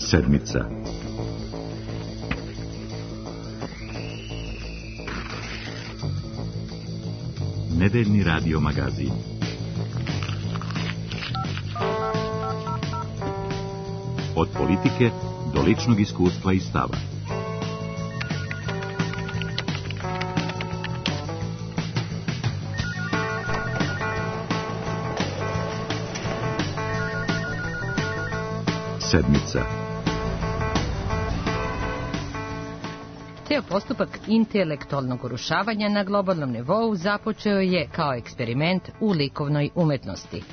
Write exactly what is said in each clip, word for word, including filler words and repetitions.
Sedmica. Nedeljni radio magazin. Od politike do ličnog iskustva i stava. Sedmica. Ceo postupak intelektualnog urušavanja na globalnom nivou započeo je kao eksperiment u likovnoj umetnosti.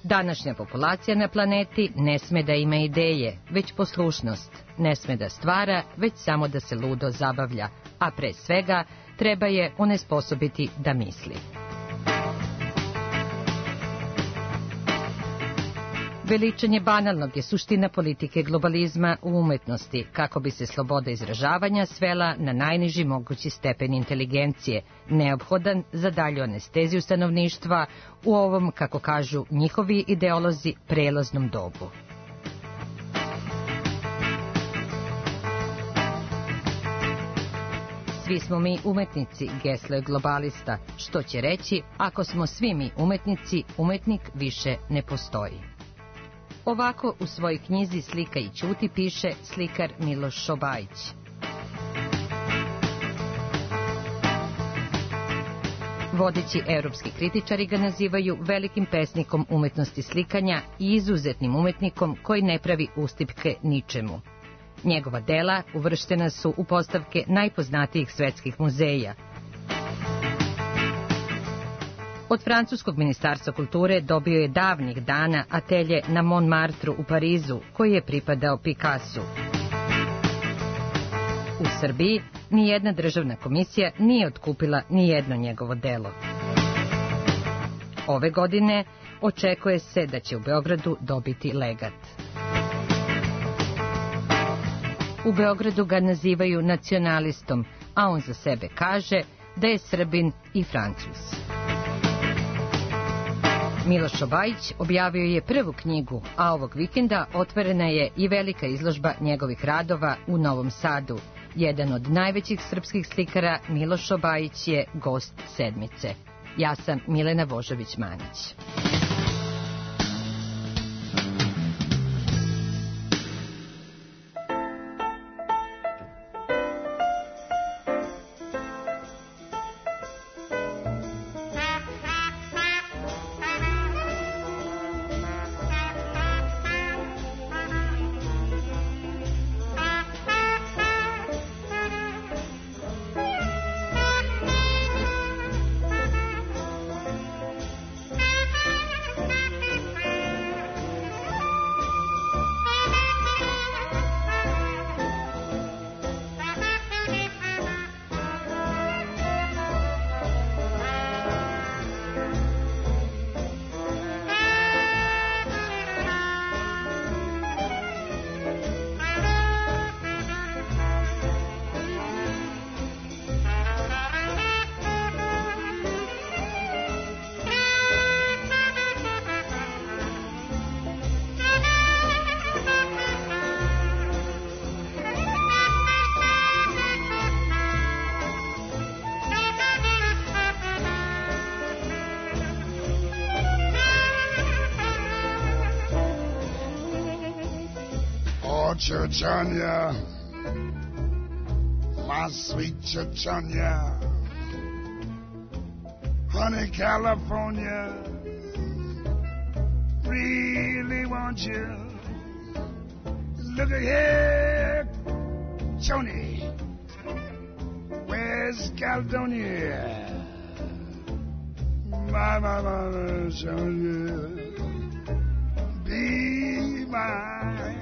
Današnja populacija na planeti ne sme da ima ideje, već poslušnost, ne sme da stvara, već samo da se ludo zabavlja, a pre svega treba je onesposobiti da misli. Veličanje banalnog je suština politike globalizma u umetnosti, kako bi se sloboda izražavanja svela na najniži mogući stepen inteligencije, neophodan za dalju anesteziju stanovništva u ovom, kako kažu njihovi ideolozi, prelaznom dobu. Svi smo mi umetnici, geslo je globalista, što će reći, ako smo svi mi umetnici, umetnik više ne postoji. Ovako u svojoj knjizi Slika i ćuti piše slikar Miloš Šobajić. Vodeći evropski kritičari ga nazivaju velikim pesnikom umetnosti slikanja i izuzetnim umetnikom koji ne pravi ustipke ničemu. Njegova dela uvrštena su u postavke najpoznatijih svetskih muzeja. Od francuskog ministarstva kulture dobio je davnih dana atelje na Montmartru u Parizu, koji je pripadao Picassu. U Srbiji nijedna državna komisija nije otkupila nijedno njegovo delo. Ove godine očekuje se da će u Beogradu dobiti legat. U Beogradu ga nazivaju nacionalistom, a on za sebe kaže da je Srbin i Francuz. Miloš Šobajić objavio je prvu knjigu, a ovog vikenda otvorena je i velika izložba njegovih radova u Novom Sadu. Jedan od najvećih srpskih slikara, Miloš Šobajić, je gost Sedmice. Ja sam Milena Vožović-Manić. Chechanya, my sweet Chechanya, honey California, really want you. Look here, Joni, where's Caledonia? My, my, my, Joni, be mine.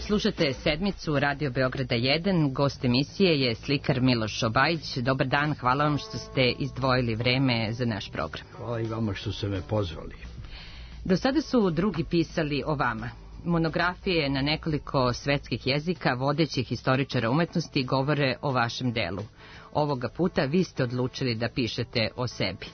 Slušate sedmicu Radio Beograda jedan, gost emisije je slikar Miloš Obajić. Dobar dan, hvala vam što ste izdvojili vreme za naš program. Hvala i vama što ste me pozvali. Do sada su drugi pisali o vama. Monografije na nekoliko svetskih jezika vodećih historičara umetnosti govore o vašem delu. Ovoga puta vi ste odlučili da pišete o sebi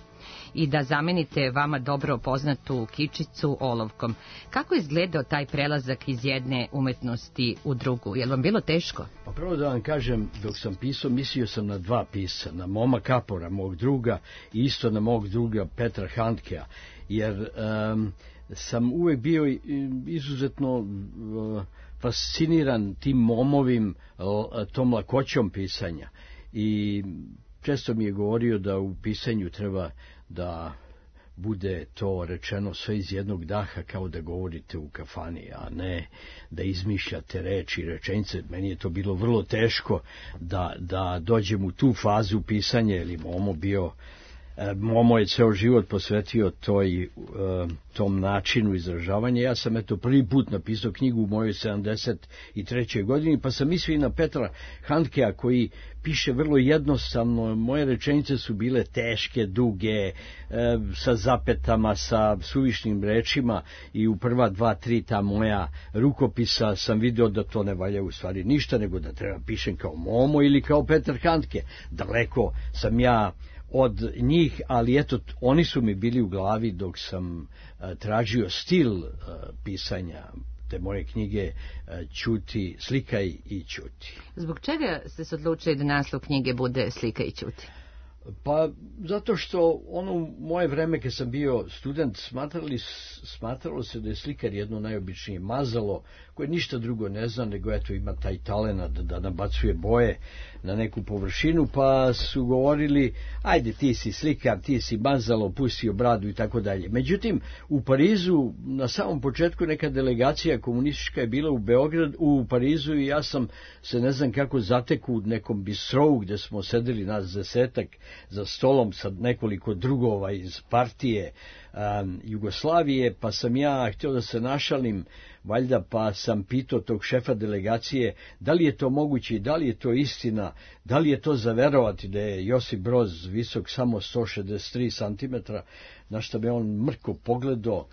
i da zamenite vama dobro poznatu kičicu olovkom. Kako je izgledao taj prelazak iz jedne umetnosti u drugu? Je li vam bilo teško? Pa prvo da vam kažem, dok sam pisao, mislio sam na dva pisca, na Moma Kapora, mog druga, i isto na mog druga Petra Handkea, jer um, sam uvek bio izuzetno uh, fasciniran tim Momovim, uh, tom lakoćom pisanja. I često mi je govorio da u pisanju treba da bude to rečeno sve iz jednog daha, kao da govorite u kafani, a ne da izmišljate reči i rečenice. Meni je to bilo vrlo teško da, da dođem u tu fazu pisanja, jer je Momo bio... Momo je ceo život posvetio toj, tom načinu izražavanja. Ja sam eto prvi put napisao knjigu u mojoj sedamdeset trećoj godini, pa sam mislio i na Petra Handkea, koji piše vrlo jednostavno. Moje rečenice su bile teške, duge, sa zapetama, sa suvišnim rečima, i u prva dva, tri ta moja rukopisa sam video da to ne valja u stvari ništa, nego da treba pišem kao Momo ili kao Petar Handke. Daleko sam ja od njih, ali eto, oni su mi bili u glavi dok sam uh, tražio stil uh, pisanja te moje knjige uh, Ćuti, slikaj i ćuti. Zbog čega ste se odlučili da naslov knjige bude Slikaj i ćuti? Pa zato što ono moje vreme kad sam bio student smatrali, smatralo se da je slikar jedno najobičnije mazalo koje ništa drugo ne zna, nego eto ima taj talenat da, da nabacuje boje na neku površinu, pa su govorili ajde ti si slikar, ti si mazalo, pustio bradu i tako dalje. Međutim, u Parizu na samom početku neka delegacija komunistička je bila u Beograd, u Parizu, i ja sam se ne znam kako zateku u nekom bistrovu gde smo sedeli nas desetak za stolom sa nekoliko drugova iz partije um, Jugoslavije, pa sam ja htio da se našalim, valjda, pa sam pitao tog šefa delegacije da li je to moguće i da li je to istina, da li je to za verovati da je Josip Broz visok samo sto šezdeset tri centimetra, na što me on mrko pogledao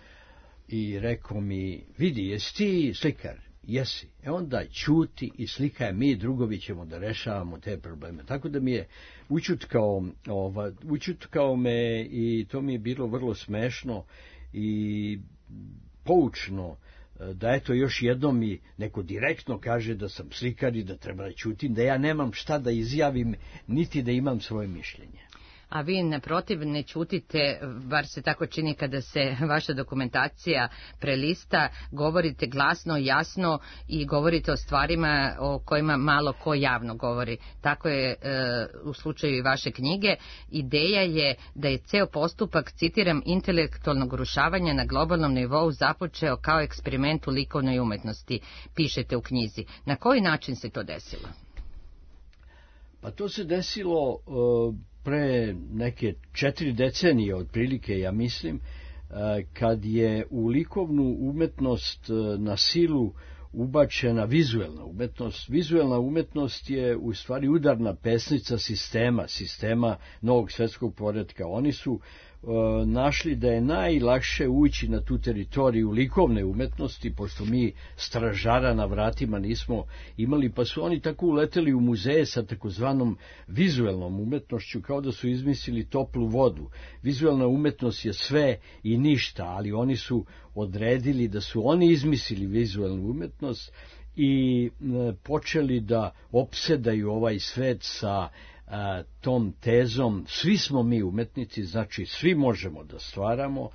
i rekao mi, vidi, jesi ti slikar? Jesi. E onda ćuti i slikaj, mi drugovi ćemo da rešavamo te probleme. Tako da mi je učutkao, ova, učutkao me, i to mi je bilo vrlo smešno i poučno, da eto još jednom mi neko direktno kaže da sam slikar i da treba da ćutim, da ja nemam šta da izjavim, niti da imam svoje mišljenje. A vi naprotiv ne ćutite, bar se tako čini kada se vaša dokumentacija prelista, govorite glasno, jasno i govorite o stvarima o kojima malo ko javno govori. Tako je e, u slučaju i vaše knjige. Ideja je da je ceo postupak, citiram, intelektualnog urušavanja na globalnom nivou započeo kao eksperiment u likovnoj umetnosti, pišete u knjizi. Na koji način se to desilo? Pa to se desilo uh, pre neke četiri decenije otprilike, ja mislim, uh, kad je u likovnu umetnost uh, na silu ubačena vizuelna umetnost. Vizuelna umetnost je u stvari udarna pesnica sistema, sistema novog svetskog poretka. Oni su e, našli da je najlakše ući na tu teritoriju likovne umetnosti, pošto mi stražara na vratima nismo imali, pa su oni tako uleteli u muzeje sa takozvanom vizuelnom umetnošću, kao da su izmislili toplu vodu. Vizuelna umetnost je sve i ništa, ali oni su odredili da su oni izmislili vizuelnu umetnost i počeli da opsedaju ovaj svet sa a, tom tezom svi smo mi umetnici, znači svi možemo da stvaramo.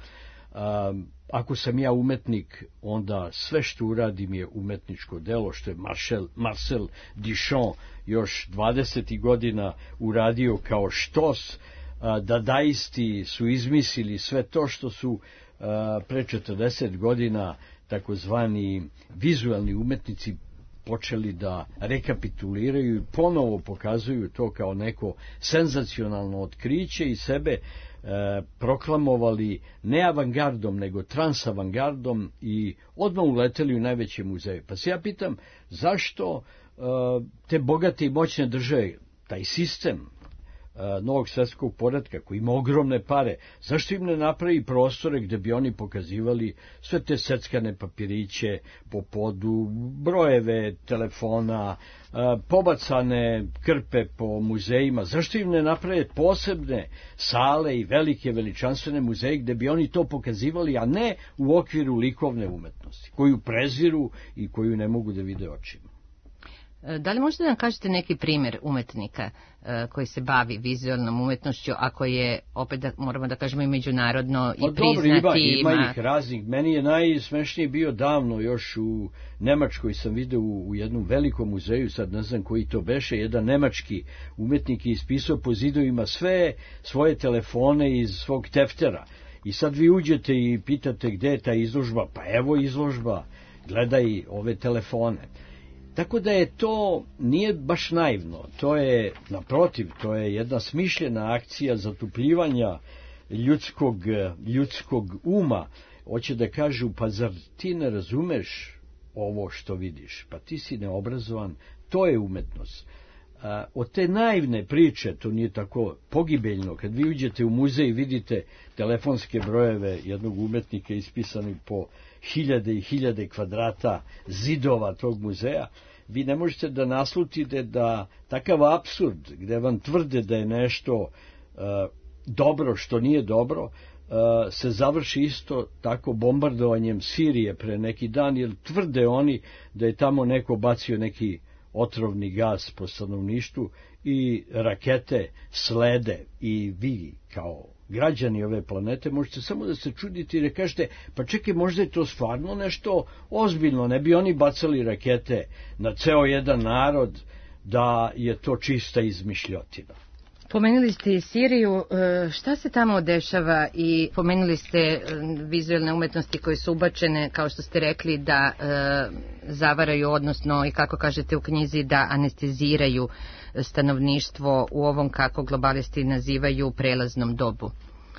A, ako sam ja umetnik, onda sve što uradim je umetničko delo, što je Marcel, Marcel Duchamp još dvadesetih godina uradio kao štos. A, dadaisti su izmislili sve to što su a, pre četrdeset godina takozvani vizualni umetnici počeli da rekapituliraju i ponovo pokazuju to kao neko senzacionalno otkriće i sebe proklamovali ne avangardom, nego transavangardom i odmah uleteli u najveće muzeje. Pa se ja pitam, zašto e, te bogate i moćne države, taj sistem e, novog svjetskog poretka koji ima ogromne pare, zašto im ne napravi prostore gde bi oni pokazivali sve te seckane papiriće po podu, brojeve telefona, e, pobacane krpe po muzejima, zašto im ne naprave posebne sale i velike veličanstvene muzeje gde bi oni to pokazivali, a ne u okviru likovne umetnosti, koju preziru i koju ne mogu da vide očima. Da li možete da nam kažete neki primjer umetnika uh, koji se bavi vizualnom umetnošću, ako je, opet da, moramo da kažemo, i međunarodno i pa, priznati? Dobro, ima, ima ih raznih. Meni je najsmešnije bio davno, još u Nemačkoj sam video u, u jednom velikom muzeju, sad ne znam koji to beše, jedan nemački umetnik je ispisao po zidovima sve svoje telefone iz svog teftera. I sad vi uđete i pitate gde je ta izložba, pa evo izložba, gledaj ove telefone. Tako da je to, nije baš naivno, to je, naprotiv, to je jedna smišljena akcija zatupljivanja ljudskog, ljudskog uma. Hoće da kažu, pa zar ti ne razumeš ovo što vidiš, pa ti si neobrazovan, to je umetnost. A, od te naivne priče, to nije tako pogibeljno, kad vi uđete u muzej i vidite telefonske brojeve jednog umetnika ispisani po hiljade i hiljade kvadrata zidova tog muzeja, vi ne možete da naslutite da takav apsurd, gde vam tvrde da je nešto uh, dobro što nije dobro, uh, se završi isto tako bombardovanjem Sirije pre neki dan, jer tvrde oni da je tamo neko bacio neki otrovni gas po stanovništvu i rakete slede i vi kao građani ove planete možete samo da se čudite i da kažete, pa čekaj, možda je to stvarno nešto ozbiljno, ne bi oni bacali rakete na ceo jedan narod, da je to čista izmišljotina. Pomenuli ste i Siriju, šta se tamo dešava, i pomenuli ste vizualne umetnosti koje su ubačene, kao što ste rekli, da e, zavaraju, odnosno, i kako kažete u knjizi, da anesteziraju stanovništvo u ovom, kako globalisti nazivaju, prelaznom dobu.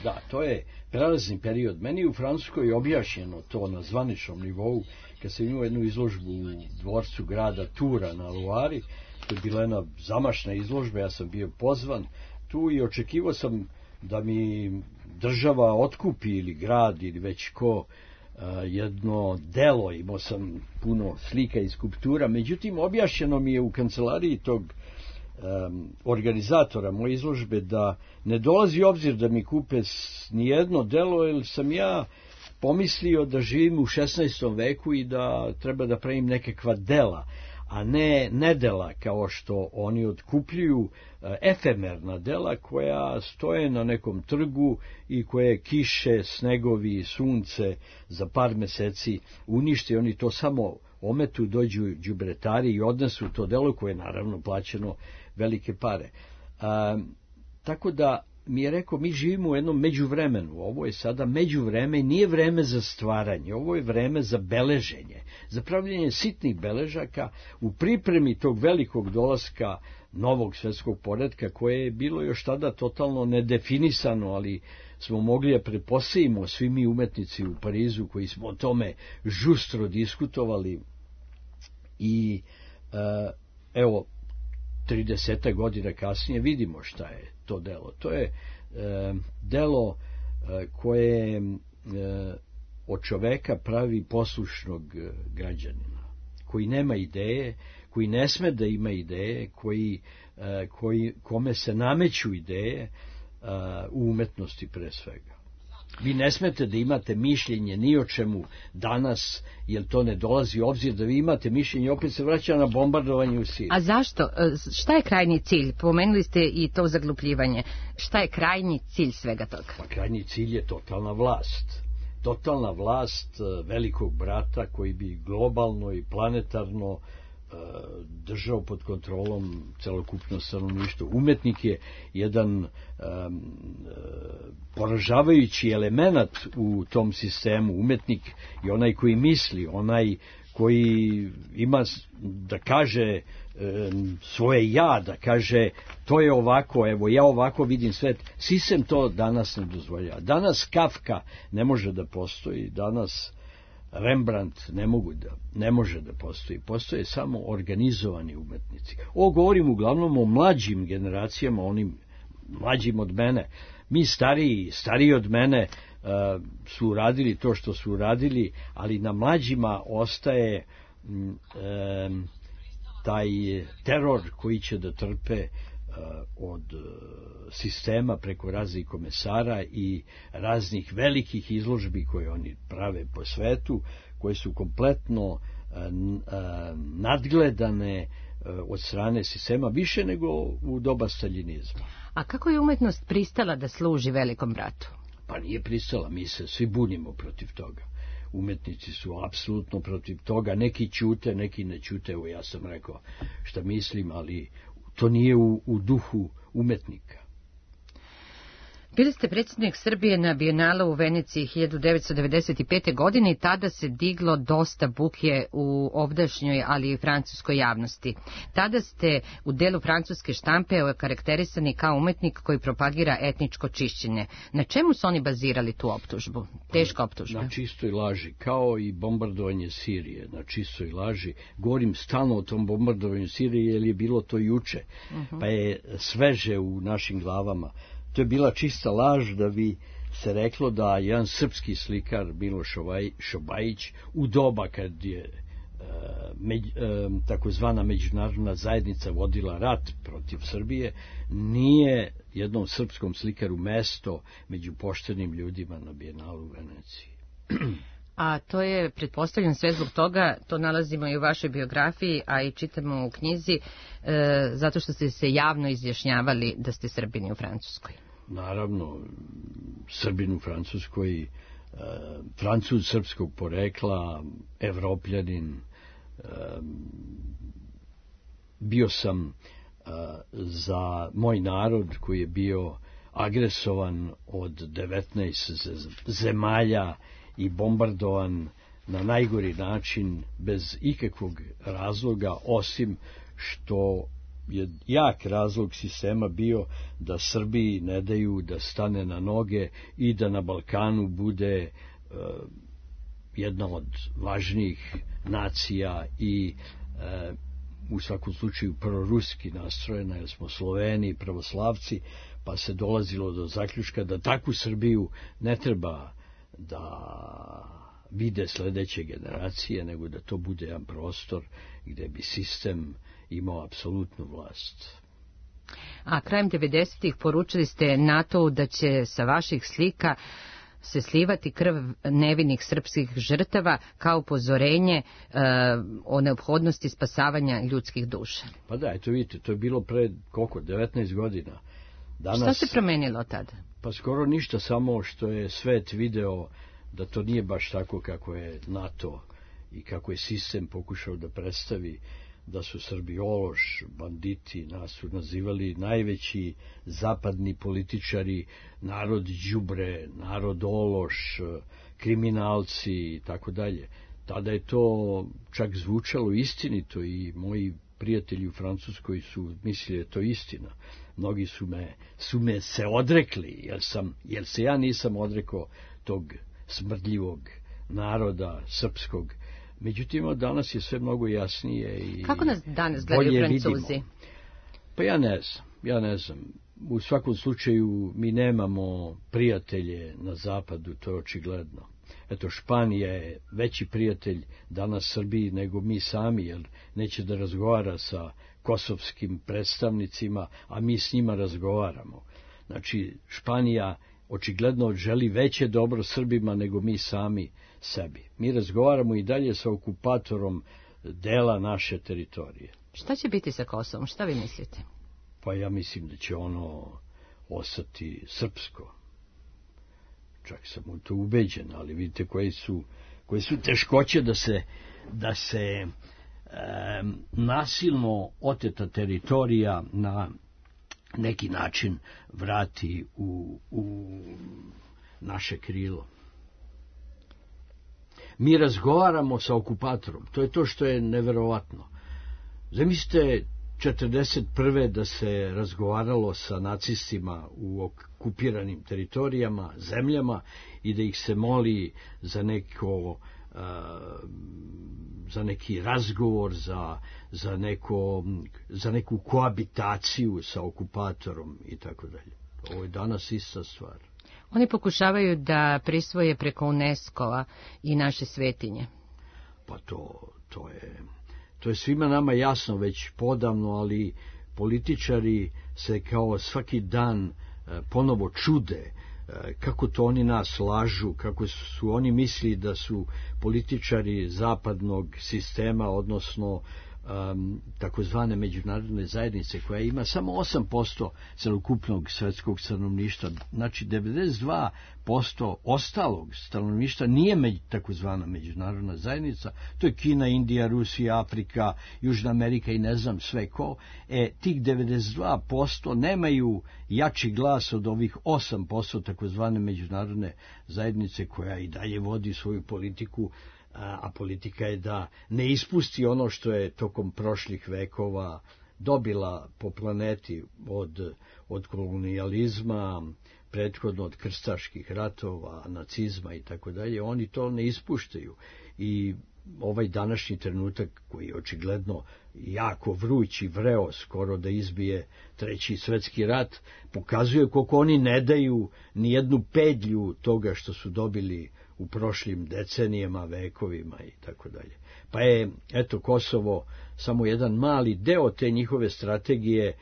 Da, to je prelazni period. Meni u Francuskoj je objašnjeno to na zvaničnom nivou, kad sam imao jednu izložbu u dvorcu grada Tura na Loari. To je bila jedna zamašna izložba, ja sam bio pozvan tu i očekivao sam da mi država otkupi ili grad ili već ko jedno delo, imao sam puno slika i skulptura, međutim objašnjeno mi je u kancelariji tog um, organizatora moje izložbe da ne dolazi u obzir da mi kupe nijedno delo, jer sam ja pomislio da živim u šesnaestom veku i da treba da pravim nekakva dela, a ne nedela kao što oni otkupljuju, efemerna dela koja stoje na nekom trgu i koje kiše, snegovi, sunce za par meseci unište. Oni to samo ometu, dođu đubretari i odnesu to delo koje je naravno plaćeno velike pare. A, tako da mi je rekao, mi živimo u jednom međuvremenu, ovo je sada međuvreme, nije vreme za stvaranje, ovo je vreme za beleženje, za pravljenje sitnih beležaka u pripremi tog velikog dolaska novog svjetskog poretka, koje je bilo još tada totalno nedefinisano, ali smo mogli da pretpostavimo svi mi umetnici u Parizu koji smo o tome žustro diskutovali. I evo, trideset godina kasnije vidimo šta je to delo. To je e, delo e, koje e, od čoveka pravi poslušnog građanina, koji nema ideje, koji ne sme da ima ideje, koji, e, koji, kome se nameću ideje e, u umetnosti pre svega. Vi ne smete da imate mišljenje ni o čemu danas, jer to ne dolazi u obzir da vi imate mišljenje, opet se vraća na bombardovanje u Siriji. A zašto? Šta je krajnji cilj? Pomenuli ste i to zaglupljivanje. Šta je krajnji cilj svega toga? Pa krajnji cilj je totalna vlast. Totalna vlast velikog brata koji bi globalno i planetarno držao pod kontrolom celokupno stanovništvo. Umetnik je jedan um, poražavajući element u tom sistemu. Umetnik je onaj koji misli, onaj koji ima da kaže um, svoje ja, da kaže to je ovako, evo ja ovako vidim svet. Sistem to danas ne dozvoljava. Danas Kafka ne može da postoji, danas Rembrandt ne mogu da, ne može da postoji. Postoje samo organizovani umetnici. Ovo govorim uglavnom o mlađim generacijama, onim mlađim od mene. Mi stariji, stariji od mene uh, su uradili to što su uradili, ali na mlađima ostaje um, taj teror koji će da trpe od sistema preko raznih komesara i raznih velikih izložbi koje oni prave po svetu, koje su kompletno nadgledane od strane sistema više nego u doba staljinizma. A kako je umetnost pristala da služi velikom bratu? Pa nije pristala, mi se svi bunimo protiv toga. Umetnici su apsolutno protiv toga, neki ćute, neki ne ćute, evo ja sam rekao šta mislim, ali to nije u, u duhu umetnika. Bili ste predsjednik Srbije na Bijenalu u Veneciji hiljadu devetsto devedeset pete. godine i tada se diglo dosta buke u ovdašnjoj, ali i francuskoj javnosti. Tada ste u delu francuske štampe okarakterisani kao umetnik koji propagira etničko čišćenje. Na čemu su oni bazirali tu optužbu? Teška optužba. Na čistoj laži, kao i bombardovanje Sirije, na čistoj laži. Govorim stalno o tom bombardovanju Sirije, jer je bilo to juče, uh-huh. pa je sveže u našim glavama. To je bila čista laž da bi se reklo da jedan srpski slikar Miloš Šobajić u doba kad je e, međ, e, takozvana međunarodna zajednica vodila rat protiv Srbije, nije jednom srpskom slikaru mesto među poštenim ljudima na Bijenalu u Veneciji. A to je, pretpostavljam, sve zbog toga, to nalazimo i u vašoj biografiji, a i čitamo u knjizi, e, zato što ste se javno izjašnjavali da ste Srbini u Francuskoj. Naravno, Srbin u Francuskoj, e, Francuz srpskog porekla, Evropljanin, e, bio sam e, za moj narod koji je bio agresovan od devetnaest zemalja i bombardovan na najgori način bez ikakvog razloga, osim što je jak razlog sistema bio da Srbiji ne daju da stane na noge i da na Balkanu bude uh, jedna od važnijih nacija i uh, u svakom slučaju proruski nastrojena, jer smo Sloveni, pravoslavci, pa se dolazilo do zaključka da takvu Srbiju ne treba da vide sledeće generacije, nego da to bude jedan prostor gde bi sistem imao apsolutnu vlast. A krajem devedesetih poručili ste NATO-u da će sa vaših slika se slivati krv nevinih srpskih žrtava kao upozorenje e, o neophodnosti spasavanja ljudskih duša. Pa da, eto vidite, to je bilo pre koliko, devetnaest godina. Danas, šta se promenilo tada? Pa skoro ništa, samo što je svet video da to nije baš tako kako je NATO i kako je sistem pokušao da predstavi, da su Srbi ološ, banditi, nas su nazivali najveći zapadni političari, narod đubre, narod ološ, kriminalci i tako dalje. Tada je to čak zvučalo istinito i moji prijatelji u Francuskoj su mislili da je to istina. Mnogi su me, su me se odrekli, jer, sam, jer se ja nisam odrekao tog smrdljivog naroda srpskog. Međutim, danas je sve mnogo jasnije i kako nas danas gledaju Francuzi? Vidimo. Pa ja ne znam, ja ne znam. U svakom slučaju mi nemamo prijatelje na zapadu, to je očigledno. Eto, Španija je veći prijatelj danas Srbiji nego mi sami, jer neće da razgovara sa kosovskim predstavnicima, a mi s njima razgovaramo. Znači, Španija očigledno želi veće dobro Srbima nego mi sami sebi. Mi razgovaramo i dalje sa okupatorom dela naše teritorije. Šta će biti sa Kosovom? Šta vi mislite? Pa ja mislim da će ono ostati srpsko. Čak sam u to ubeđen, ali vidite koje su, koje su teškoće da se, da se nasilno oteta teritorija na neki način vrati u, u naše krilo. Mi razgovaramo sa okupatorom, to je to što je neverovatno. Zamislite četrdeset prve da se razgovaralo sa nacistima u okupiranim teritorijama, zemljama i da ih se moli za neko za neki razgovor, za, za, neko, za neku koabitaciju sa okupatorom i tako dalje. Ovo je danas ista stvar. Oni pokušavaju da prisvoje preko UNESCO-a i naše svetinje. Pa to, to je... To je svima nama jasno već podavno, ali političari se kao svaki dan ponovo čude kako to oni nas lažu, kako su oni misli da su političari zapadnog sistema, odnosno um, takozvane međunarodne zajednice, koja ima samo osam posto celokupnog svetskog stanovništva, znači devedeset dva posto ostalog stanovništva nije među, takozvana međunarodna zajednica, to je Kina, Indija, Rusija, Afrika, Južna Amerika i ne znam sve ko, e, tih devedeset dva posto nemaju jači glas od ovih osam posto takozvane međunarodne zajednice, koja i dalje vodi svoju politiku, a politika je da ne ispusti ono što je tokom prošlih vekova dobila po planeti od, od kolonijalizma, prethodno od krstaških ratova, nacizma i tako dalje. Oni to ne ispuštaju i ovaj današnji trenutak, koji je očigledno jako vruć i vreo, skoro da izbije treći svetski rat, pokazuje koliko oni ne daju ni jednu pedlju toga što su dobili u prošlim decenijama, vekovima i tako dalje. Pa je, eto, Kosovo samo jedan mali deo te njihove strategije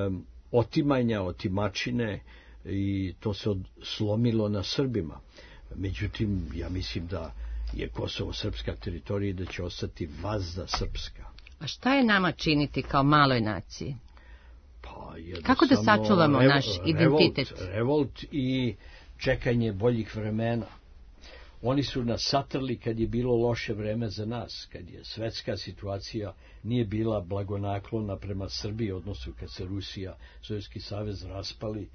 um, otimanja, otimačine, i to se slomilo na Srbima. Međutim, ja mislim da je Kosovo srpska teritorija i da će ostati vazda srpska. A šta je nama činiti kao maloj naciji? Pa, kako da sačuvamo revo, naš identitet? Revolt, revolt i čekanje boljih vremena. Oni su nas satrli kad je bilo loše vreme za nas, kad je svetska situacija nije bila blagonaklona prema Srbiji, odnosno kad se Rusija, Sovjetski savez raspali,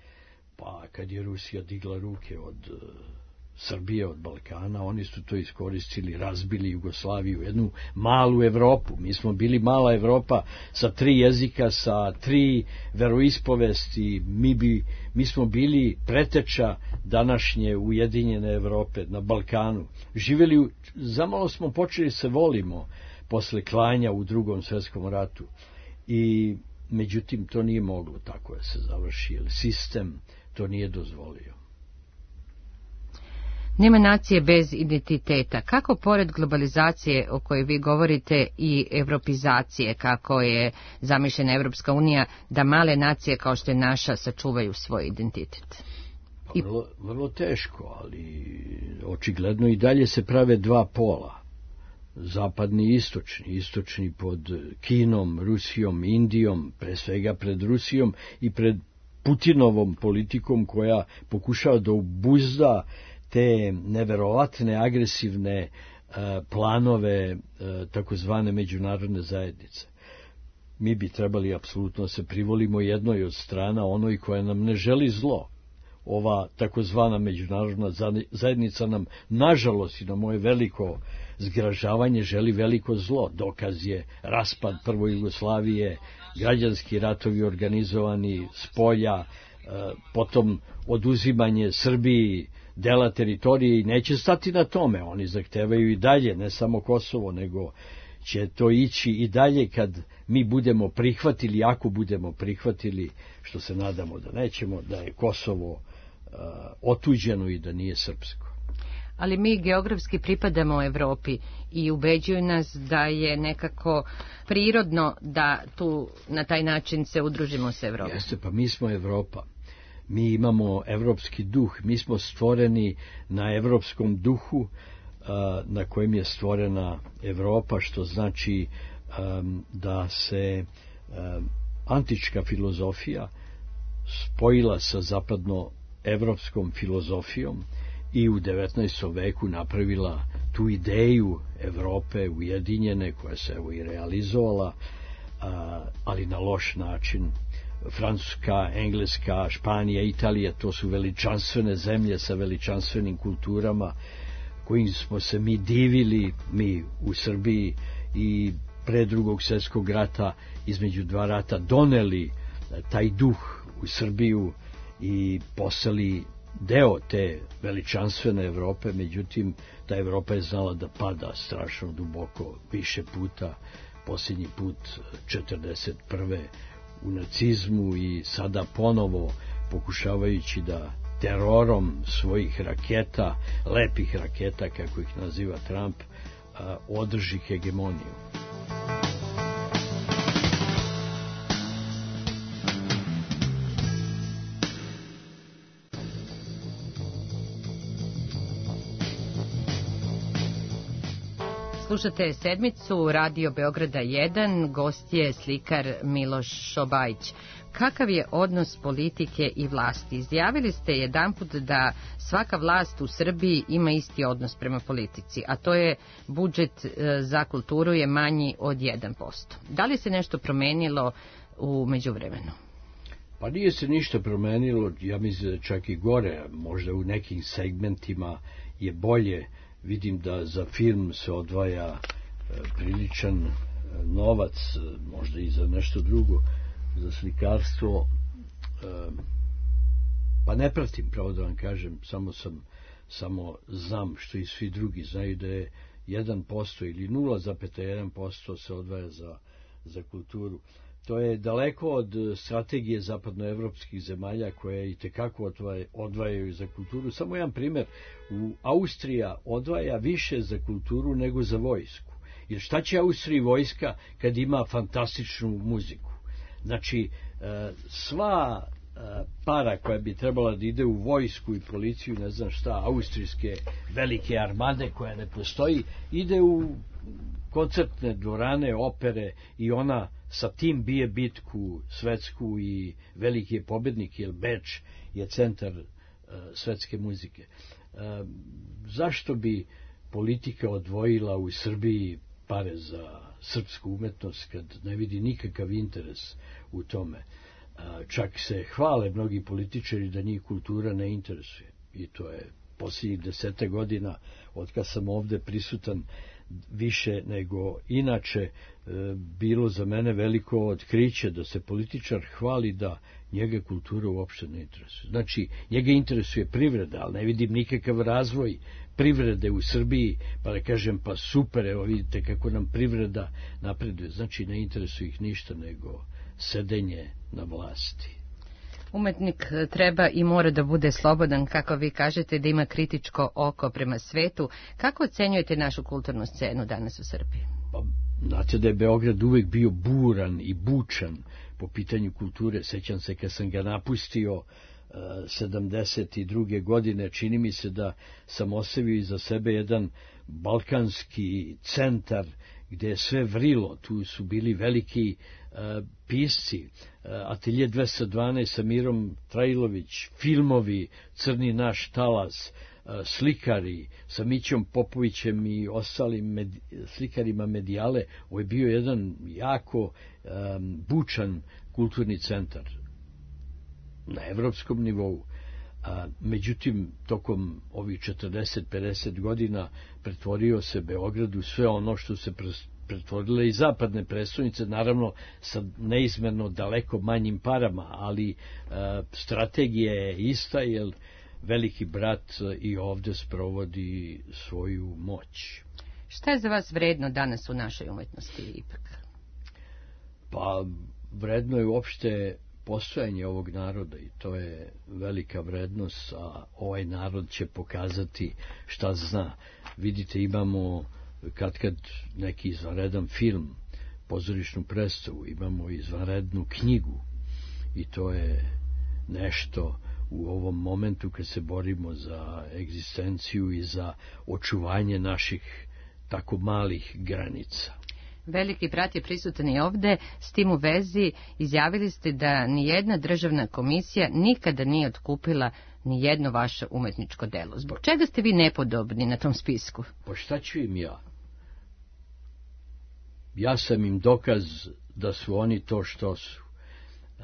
pa kad je Rusija digla ruke od uh, Srbije, od Balkana, oni su to iskoristili, razbili Jugoslaviju, jednu malu Evropu. Mi smo bili mala Evropa sa tri jezika, sa tri veroispovesti, mi, bi, mi smo bili preteča današnje ujedinjene Evrope na Balkanu. Živjeli, zamalo smo počeli se volimo posle klanja u drugom svjetskom ratu i međutim to nije moglo tako da se završi, jer sistem to nije dozvolio. Nema nacije bez identiteta. Kako pored globalizacije o kojoj vi govorite i evropizacije, kako je zamišljena Evropska unija, da male nacije kao što je naša sačuvaju svoj identitet? Pa vrlo, vrlo teško, ali očigledno i dalje se prave dva pola. Zapadni i istočni. Istočni pod Kinom, Rusijom, Indijom, pre svega pred Rusijom i pred Putinovom politikom koja pokušava da obuzda te neverovatne, agresivne uh, planove uh, takozvane međunarodne zajednice. Mi bi trebali apsolutno se privolimo jednoj od strana, onoj koja nam ne želi zlo. Ova takozvana međunarodna zajednica nam, nažalost i na moje veliko zgražavanje, želi veliko zlo. Dokaz je raspad prvo Jugoslavije, građanski ratovi organizovani s polja, uh, potom oduzimanje Srbiji dela teritorije i neće stati na tome. Oni zahtevaju i dalje, ne samo Kosovo, nego će to ići i dalje kad mi budemo prihvatili, ako budemo prihvatili, što se nadamo da nećemo, da je Kosovo uh, otuđeno i da nije srpsko. Ali mi geografski pripadamo Evropi i ubeđuju nas da je nekako prirodno da tu na taj način se udružimo s Evropom. Jeste, pa mi smo Evropa. Mi imamo evropski duh, mi smo stvoreni na evropskom duhu na kojem je stvorena Evropa, što znači da se antička filozofija spojila sa zapadno evropskom filozofijom i u devetnaestom veku napravila tu ideju Evrope ujedinjene, koja se evo i realizovala, ali na loš način. Francuska, Engleska, Španija, Italija, to su veličanstvene zemlje sa veličanstvenim kulturama kojim smo se mi divili, mi u Srbiji, i pre drugog svjetskog rata, između dva rata, doneli taj duh u Srbiju i postali deo te veličanstvene Evrope. Međutim, ta Evropa je znala da pada strašno duboko, više puta, posljednji put četrdeset prve u nacizmu i sada ponovo pokušavajući da terorom svojih raketa, lepih raketa kako ih naziva Trump, održi hegemoniju. Slušate sedmicu Radio Beograda jedan, gost je slikar Miloš Šobajić. Kakav je odnos politike i vlasti? Izjavili ste jedanput da svaka vlast u Srbiji ima isti odnos prema politici, a to je budžet za kulturu je manji od jedan posto. Da li se nešto promenilo u međuvremenu? Pa nije se ništa promenilo, ja mislim da čak i gore, možda u nekim segmentima je bolje. Vidim da za film se odvaja priličan novac, možda i za nešto drugo, za slikarstvo. Pa ne pratim, pravo da vam kažem, samo sam, samo znam što i svi drugi znaju da je jedan posto ili nula zarez jedan posto se odvaja za, za kulturu. To je daleko od strategije zapadnoevropskih zemalja koje i tekako odvajaju za kulturu. Samo jedan primjer, u Austrija odvaja više za kulturu nego za vojsku. Jer šta će Austriji vojska kad ima fantastičnu muziku? Znači, sva para koja bi trebala da ide u vojsku i policiju, ne znam šta, austrijske velike armade koja ne postoji, ide u koncertne dvorane, opere, i ona sa tim bije bitku svetsku i veliki je pobednik, jer Beč je centar uh, svetske muzike. Uh, zašto bi politika odvojila u Srbiji pare za srpsku umetnost kad ne vidi nikakav interes u tome? Uh, čak se hvale mnogi političari da njih kultura ne interesuje, i to je posljednjih desete godina od kad sam ovde prisutan više nego inače e, bilo za mene veliko otkriće da se političar hvali da njega kultura uopšte ne interesuje. Znači, njega interesuje privreda, ali ne vidim nikakav razvoj privrede u Srbiji, pa da kažem, pa super, evo vidite kako nam privreda napreduje. Znači, ne interesuje ih ništa nego sedenje na vlasti. Umetnik treba i mora da bude slobodan, kako vi kažete, da ima kritičko oko prema svetu. Kako ocenjujete našu kulturnu scenu danas u Srbiji? Pa, znate da je Beograd uvek bio buran i bučan po pitanju kulture. Sećam se kad sam ga napustio sedamdeset druge godine, čini mi se da sam ostavio iza sebe jedan balkanski centar gde je sve vrilo. Tu su bili veliki uh, pisci, uh, Atelje dvesta dvanaest sa Mirom Trajlović, filmovi Crni naš talas, uh, slikari sa Mićom Popovićem i ostalim med, slikarima Medijale. Ovo je bio jedan jako um, bučan kulturni centar na evropskom nivou. A, međutim, tokom ovih četrdeset pedeset godina pretvorio se Beograd u sve ono što se pretvorile i zapadne prestonice, naravno sa neizmerno daleko manjim parama, ali a, strategija je ista, jer veliki brat i ovde sprovodi svoju moć. Šta je za vas vredno danas u našoj umetnosti ipak? Pa, vredno je uopšte postojanje ovog naroda, i to je velika vrednost, a ovaj narod će pokazati šta zna. Vidite, imamo kad kad neki izvanredan film, pozorišnu predstavu, imamo izvanrednu knjigu, i to je nešto u ovom momentu kad se borimo za egzistenciju i za očuvanje naših tako malih granica. Veliki brat je prisutan i ovde, s tim u vezi izjavili ste da nijedna državna komisija nikada nije otkupila ni jedno vaše umetničko delo. Zbog čega ste vi nepodobni na tom spisku? Pa šta ću im ja? Ja sam im dokaz da su oni to što su. E,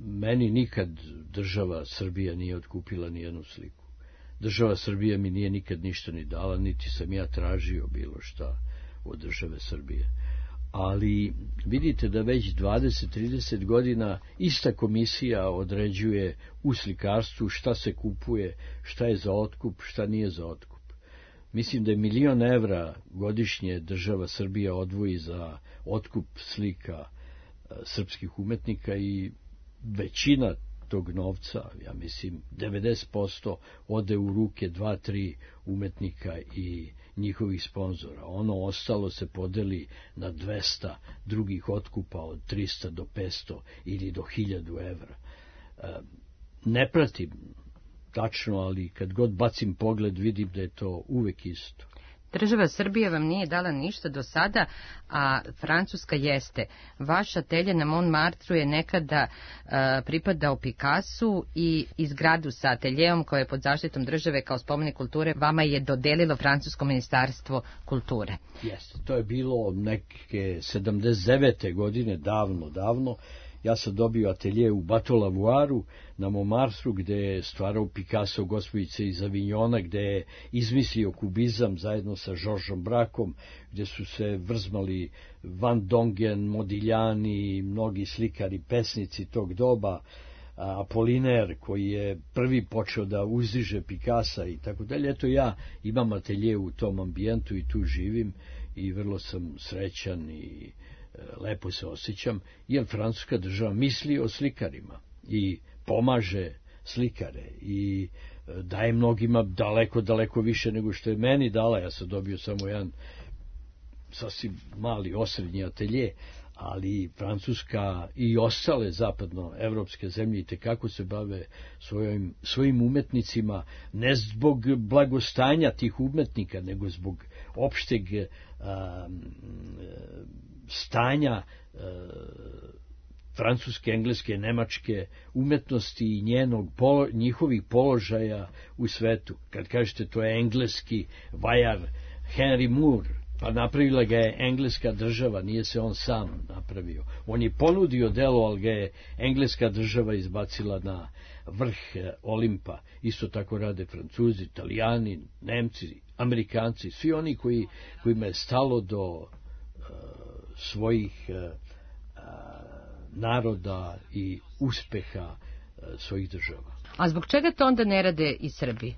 meni nikad država Srbija nije otkupila ni jednu sliku. Država Srbija mi nije nikad ništa ni dala, niti sam ja tražio bilo šta od države Srbije. Ali vidite da već dvadeset do trideset godina ista komisija određuje u slikarstvu šta se kupuje, šta je za otkup, šta nije za otkup. Mislim da je milion evra godišnje država Srbija odvoji za otkup slika srpskih umetnika i većina tog novca, ja mislim devedeset posto ode u ruke dva, tri umetnika i njihovih sponzora. Ono ostalo se podeli na dvesta drugih otkupa od trista do petsto ili do hiljadu evra. Ne pratim tačno, ali kad god bacim pogled vidim da je to uvek isto. Država Srbija vam nije dala ništa do sada, a Francuska jeste. Vaš atelje na Montmartru je nekada uh, pripadao Picassu i izgradu sa ateljeom koja je pod zaštitom države kao spomenik kulture vama je dodelilo Francusko ministarstvo kulture. Jeste, to je bilo neke sedamdeset devete godine, davno, davno. Ja sam dobio atelje u Bateau-Lavouaru na Montmartru, gde je stvarao Picasso Gospođice iz Avignona, gde je izmislio kubizam zajedno sa Georgesom Brakom, gde su se vrzmali Van Dongen, Modigliani, mnogi slikari, pesnici tog doba, Apollinaire koji je prvi počeo da uzdiže Picassa i tako dalje. Eto, ja imam atelje u tom ambijentu i tu živim i vrlo sam srećan i lepo se osjećam, jer francuska država misli o slikarima i pomaže slikare i daje mnogima daleko, daleko više nego što je meni dala. Ja sam dobio samo jedan sasvim mali osrednji atelje, ali Francuska i ostale zapadnoevropske zemlje i tekako se bave svojim, svojim umetnicima, ne zbog blagostanja tih umetnika, nego zbog opšteg a, stanja e, francuske, engleske, nemačke umetnosti i njenog, polo, njihovih položaja u svetu. Kad kažete to je engleski vajar Henry Moore, pa napravila ga je engleska država, nije se on sam napravio. On je ponudio delo, ali ga je engleska država izbacila na vrh Olimpa. Isto tako rade Francuzi, Italijani, Nemci, Amerikanci, svi oni koji, kojima je stalo do uh, svojih uh, naroda i uspeha uh, svojih država. A zbog čega to onda ne rade i Srbi?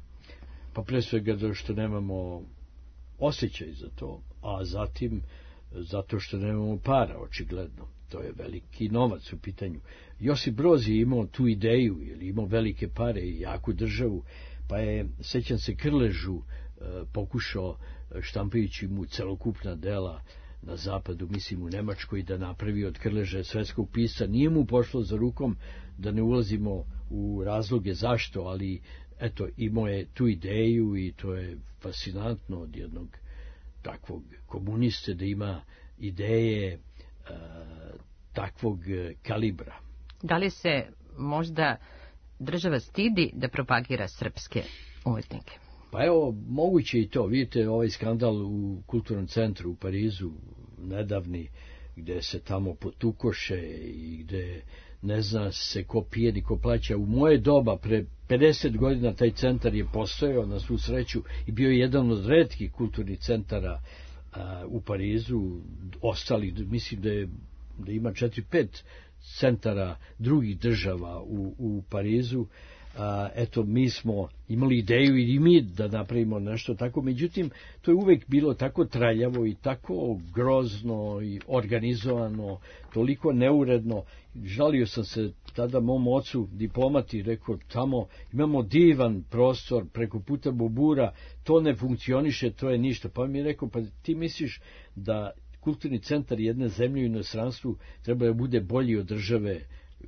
Pa pre svega zato što nemamo osjećaj za to, a zatim zato što nemamo para, očigledno. To je veliki novac u pitanju. Josip Broz je imao tu ideju, ili imao velike pare i jaku državu, pa je, sećam se, Krležu pokušao, štampajući mu celokupna dela na zapadu, mislim u Nemačkoj, da napravi od Krleže svetskog pisca. Nije mu pošlo za rukom, da ne ulazimo u razloge zašto, ali eto, imao je tu ideju i to je fascinantno od jednog takvog komuniste da ima ideje e, takvog kalibra. Da li se možda država stidi da propagira srpske umetnike? Pa evo, moguće i to. Vidite ovaj skandal u kulturnom centru u Parizu, nedavni, gde se tamo potukoše i gde ne zna se ko pije ni ko plaća. U moje doba, pre pedeset godina, taj centar je postojao na svu sreću i bio je jedan od retkih kulturnih centara a, u Parizu. Ostali, mislim da, je, da ima četiri, pet centara drugih država u, u Parizu. A, eto, mi smo imali ideju i mi da napravimo nešto tako, međutim, to je uvek bilo tako traljavo i tako grozno i organizovano, toliko neuredno. Žalio sam se tada mom ocu, diplomati, rekao, tamo imamo divan prostor preko puta Bobura, to ne funkcioniše, to je ništa. Pa mi je rekao, pa ti misliš da kulturni centar jedne zemlje u inostranstvu treba da bude bolji od države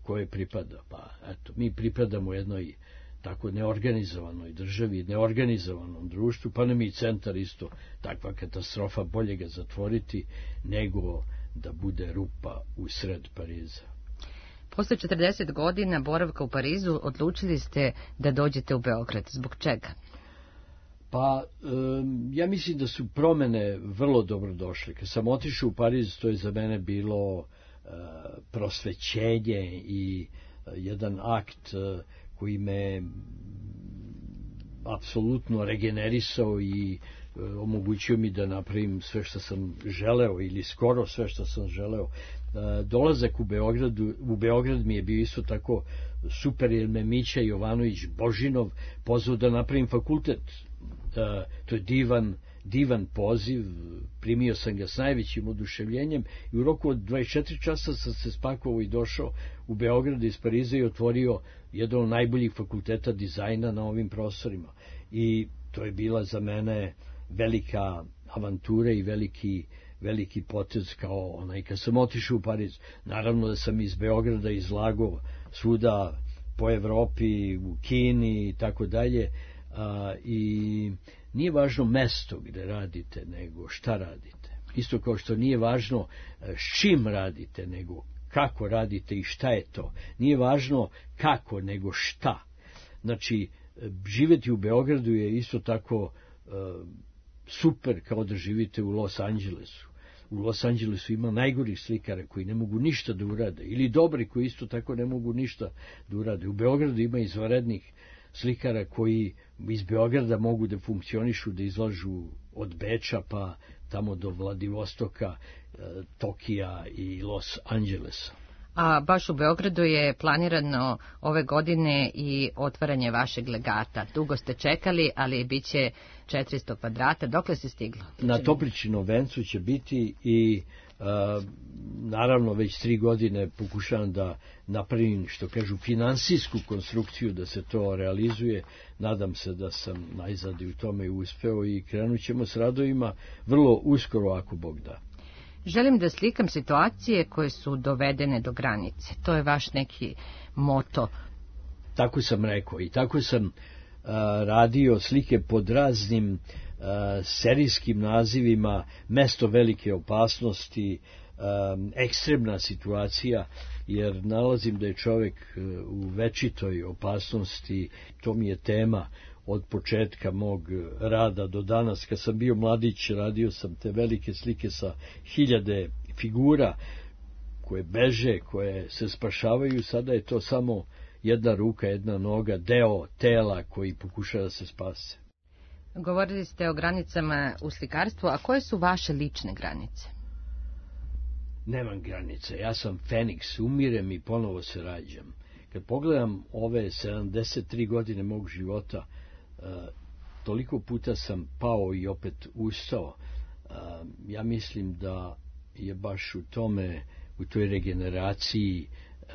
koje pripada? Pa eto, mi pripadamo jednoj tako neorganizovanoj državi, neorganizovanom društvu, pa nam i centar isto takva katastrofa, bolje ga zatvoriti nego da bude rupa u sred Pariza. Posle četrdeset godina boravka u Parizu odlučili ste da dođete u Beograd. Zbog čega? Pa, ja mislim da su promene vrlo dobro došle. Kad sam otišao u Pariz, to je za mene bilo prosvećenje i jedan akt koji me apsolutno regenerisao i omogućio mi da napravim sve što sam želeo ili skoro sve što sam želeo. Dolazak u Beogradu, u Beograd mi je bio isto tako super, jer me Mića Jovanović Božinov pozvao da napravim fakultet. To je divan, divan poziv, primio sam ga s najvećim oduševljenjem i u roku od dvadeset četiri časa sam se spakovao i došao u Beograd iz Pariza i otvorio jedan od najboljih fakulteta dizajna na ovim prostorima. I to je bila za mene velika avantura i veliki, veliki potez kao onaj kad sam otišao u Pariz. Naravno da sam iz Beograda izlagao svuda po Evropi, u Kini i tako dalje. I nije važno mesto gde radite, nego šta radite. Isto kao što nije važno s čim radite, nego kako radite i šta je to. Nije važno kako, nego šta. Znači, živeti u Beogradu je isto tako uh, super kao da živite u Los Angelesu. U Los Angelesu ima najgorih slikara koji ne mogu ništa da urade, ili dobri koji isto tako ne mogu ništa da urade. U Beogradu ima izvanrednih slikara koji iz Beograda mogu da funkcionišu, da izlažu od Beča pa tamo do Vladivostoka, Tokija i Los Angelesa. A baš u Beogradu je planirano ove godine i otvaranje vašeg legata. Dugo ste čekali, ali bit će četiristo kvadrata. Dokle se stiglo? Na Topličinom vencu će biti i a, naravno već tri godine pokušavam da napravim, što kažu, finansijsku konstrukciju da se to realizuje. Nadam se da sam najzad i u tome uspeo i krenut ćemo s radovima vrlo uskoro, ako Bog da. Želim da slikam situacije koje su dovedene do granice. To je vaš neki moto. Tako sam rekao i tako sam uh, radio slike pod raznim uh, serijskim nazivima: Mesto velike opasnosti, um, ekstremna situacija, jer nalazim da je čovjek uh, u večitoj opasnosti. To mi je tema od početka mog rada do danas. Kad sam bio mladić, radio sam te velike slike sa hiljade figura koje beže, koje se spašavaju. Sada je to samo jedna ruka, jedna noga, deo tela koji pokušava da se spase. Govorili ste o granicama u slikarstvu, a koje su vaše lične granice? Nemam granice, ja sam Feniks, umirem i ponovo se rađam. Kad pogledam ove sedamdeset tri godine mog života, Uh, toliko puta sam pao i opet ustao. Uh, ja mislim da je baš u tome, u toj regeneraciji uh,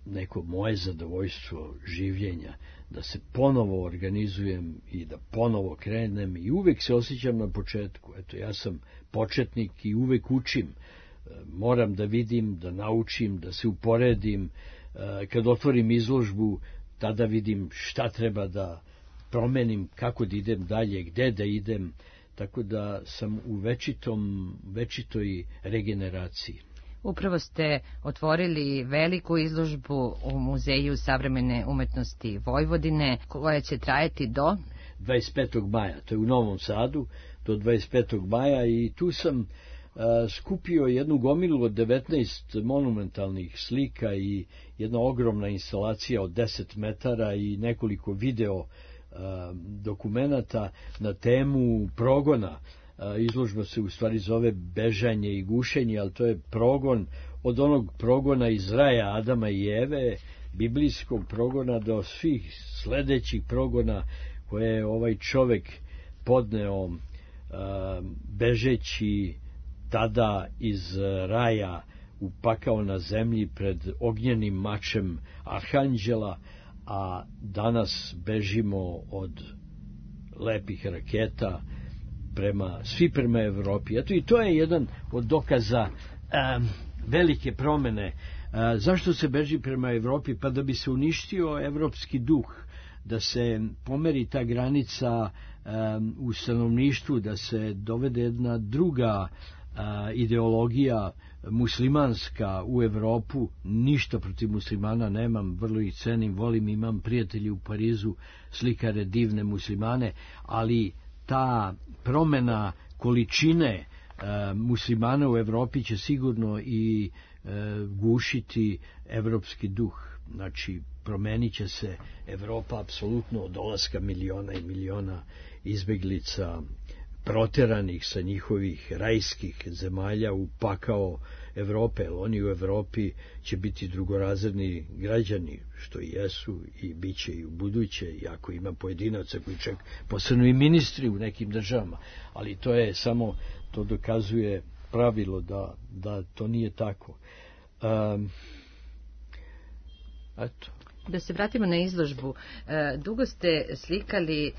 neko moje zadovoljstvo življenja, da se ponovo organizujem i da ponovo krenem i uvek se osjećam na početku. Eto, ja sam početnik i uvek učim. Uh, moram da vidim, da naučim, da se uporedim. Uh, kad otvorim izložbu, tada vidim šta treba da promenim, kako da idem dalje, gde da idem, tako da sam u večitom, večitoj regeneraciji. Upravo ste otvorili veliku izložbu u Muzeju savremene umetnosti Vojvodine, koja će trajati do dvadeset petog maja, to je u Novom Sadu, do dvadeset petog maja, i tu sam a, skupio jednu gomilu od devetnaest monumentalnih slika i jedna ogromna instalacija od deset metara i nekoliko video dokumenata na temu progona. Izložba se u stvari zove Bežanje i gušenje, ali to je progon, od onog progona iz raja Adama i Eve, biblijskog progona, do svih sledećih progona koje je ovaj čovek podneo bežeći tada iz raja u pakao na zemlji pred ognjenim mačem Arhanđela, a danas bežimo od lepih raketa prema, svi prema Evropi. Eto, i to je jedan od dokaza um, velike promene. Uh, zašto se beži prema Evropi? Pa da bi se uništio evropski duh, da se pomeri ta granica um, u stanovništvu, da se dovede jedna druga a, ideologija muslimanska u Evropu, ništa protiv muslimana nemam, vrlo ih cenim, volim, imam prijatelji u Parizu, slikare, divne muslimane, ali ta promena količine a, muslimana u Evropi će sigurno i a, gušiti evropski duh. Znači, promenit će se Evropa apsolutno od dolaska miliona i miliona izbeglica, proteranih sa njihovih rajskih zemalja u pakao Evrope, jer oni u Evropi će biti drugorazredni građani, što i jesu i bit će i u buduće, iako ima pojedinaca koji čak posebno i ministri u nekim državama, ali to je samo, to dokazuje pravilo da, da to nije tako. Um, eto. Da se vratimo na izložbu, dugo ste slikali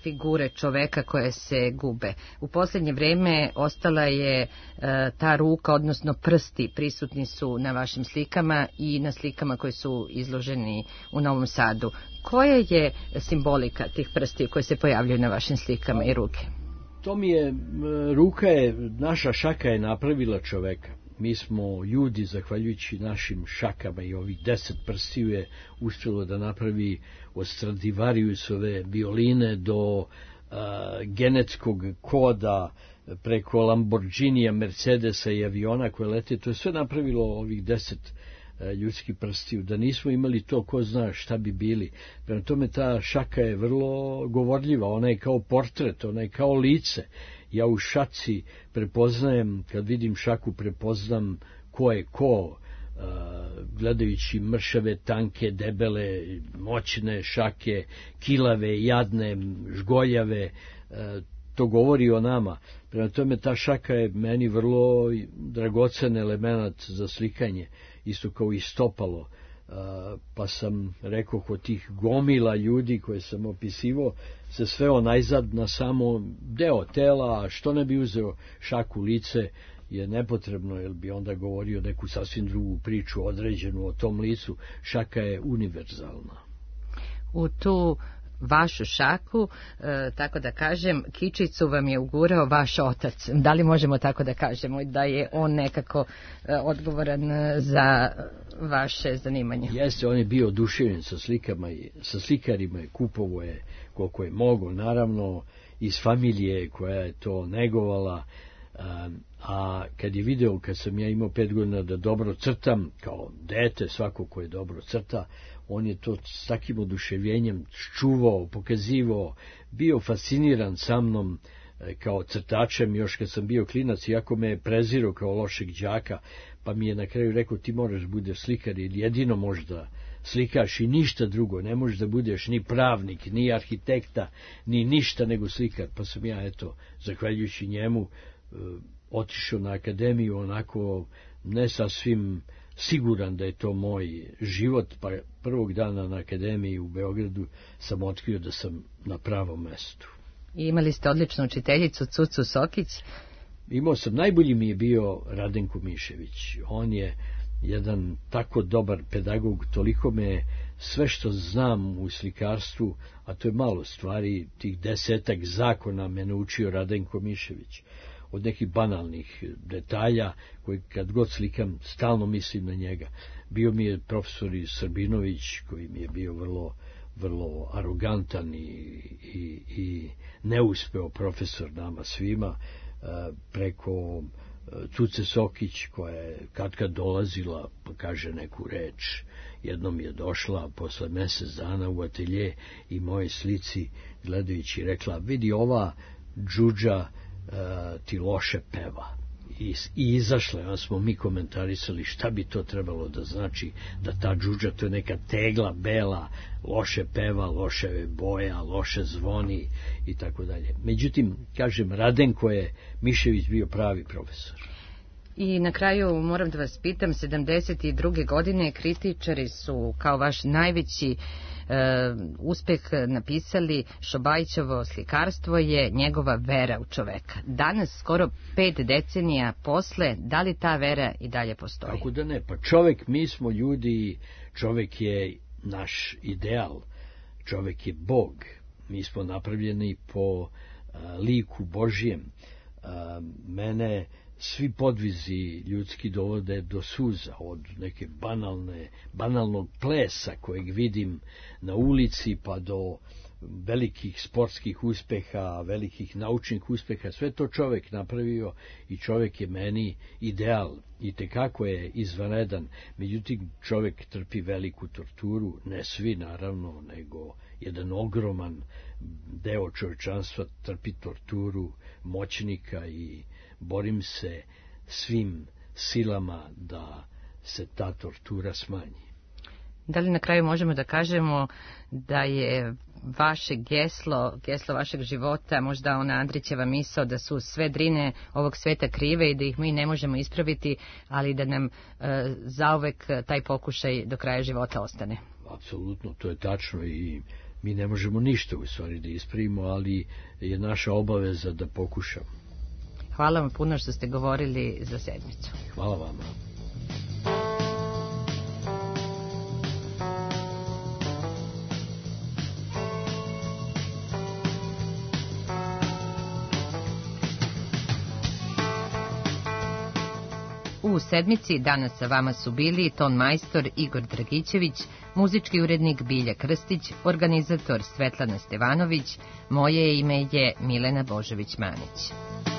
figure čoveka koje se gube. U posljednje vrijeme ostala je ta ruka, odnosno prsti prisutni su na vašim slikama i na slikama koji su izloženi u Novom Sadu. Koja je simbolika tih prsti koje se pojavljaju na vašim slikama i ruke? To mi je, ruka je, naša šaka je napravila čoveka. Mi smo ljudi, zahvaljujući našim šakama i ovih deset prstiju je uspjelo da napravi od Stradivariusove violine do a, genetskog koda preko Lamborghinija, Mercedesa i aviona koje lete. To je sve napravilo ovih deset a, ljudskih prstiju. Da nismo imali to, ko zna šta bi bili. Prema tome ta šaka je vrlo govorljiva. Ona je kao portret, ona je kao lice. Ja u šaci prepoznajem, kad vidim šaku, prepoznam ko je ko, gledajući mršave, tanke, debele, moćne šake, kilave, jadne, žgoljave, to govori o nama. Prema tome ta šaka je meni vrlo dragocen element za slikanje, isto kao i stopalo. Pa sam rekao, kod tih gomila ljudi koje sam opisivao, se sveo najzad na samo deo tela, a što ne bi uzeo šaku, lice je nepotrebno, jer bi onda govorio neku sasvim drugu priču određenu o tom licu. Šaka je univerzalna. U tu vašu šaku, e, tako da kažem, kičicu vam je ugurao vaš otac. Da li možemo tako da kažemo da je on nekako e, odgovoran za vaše zanimanje? Jeste, on je bio oduševljen sa slikama i sa slikarima i kupovo je koliko je mogo, naravno iz familije koja je to negovala, a, a kad je video, kad sam ja imao pet godina da dobro crtam, kao dete, svako ko je dobro crta, on je to s takim oduševljenjem čuvao, pokazivao, bio fasciniran sa mnom kao crtačem, još kad sam bio klinac, iako me je prezirao kao lošeg đaka, pa mi je na kraju rekao, ti moraš budeš slikar, ili jedino možda slikaš i ništa drugo, ne možeš da budeš ni pravnik, ni arhitekta, ni ništa nego slikar. Pa sam ja, eto, zahvaljujući njemu, otišao na akademiju, onako ne sasvim siguran da je to moj život, pa prvog dana na akademiji u Beogradu sam otkrio da sam na pravom mestu. I imali ste odličnu učiteljicu, Cucu Sokić? Imao sam, najbolji mi je bio Radenko Mišević. On je jedan tako dobar pedagog, toliko me sve što znam u slikarstvu, a to je malo stvari, tih desetak zakona me naučio Radenko Mišević. Od nekih banalnih detalja koji kad god slikam stalno mislim na njega. Bio mi je profesor i Srbinović koji mi je bio vrlo, vrlo arogantan i, i, i neuspeo profesor nama svima, preko Cuce Sokić koja je kad kad dolazila pa kaže neku reč. Jednom je došla posle mjesec dana u atelje i moje slici gledajući rekla, vidi ova džudža Uh, ti loše peva. I, i izašle, onda smo mi komentarisali šta bi to trebalo da znači, da ta džudža, to je neka tegla bela, loše peva, loše boja, loše zvoni i tako dalje. Međutim, kažem, Radenko je Mišević bio pravi profesor. I na kraju moram da vas pitam, sedamdeset druge godine kritičari su kao vaš najveći e, uspeh napisali Šobajićevo slikarstvo je njegova vera u čoveka. Danas, skoro pet decenija posle, da li ta vera i dalje postoji? Kako da ne, pa čovek, mi smo ljudi, čovek je naš ideal, čovek je Bog, mi smo napravljeni po a, liku Božjem. A, mene svi podvizi ljudski dovode do suza, od neke banalne, banalnog plesa kojeg vidim na ulici pa do velikih sportskih uspeha, velikih naučnih uspeha, sve to čovek napravio i čovek je meni ideal i tekako je izvanredan. Međutim, čovek trpi veliku torturu, ne svi naravno, nego jedan ogroman deo čovečanstva trpi torturu moćnika i borim se svim silama da se ta tortura smanji. Da li na kraju možemo da kažemo da je vaše geslo, geslo vašeg života, možda ona Andrićeva misao da su sve drine ovog sveta krive i da ih mi ne možemo ispraviti, ali da nam e, zauvek taj pokušaj do kraja života ostane? Apsolutno, to je tačno i mi ne možemo ništa u stvari da ispravimo, ali je naša obaveza da pokušamo. Hvala vam puno što ste govorili za sedmicu. Hvala vama. U sedmici danas sa vama su bili ton majstor Igor Dragićević, muzički urednik Bilja Krstić, organizator Svetlana Stevanović, moje ime je Milena Božović-Manić.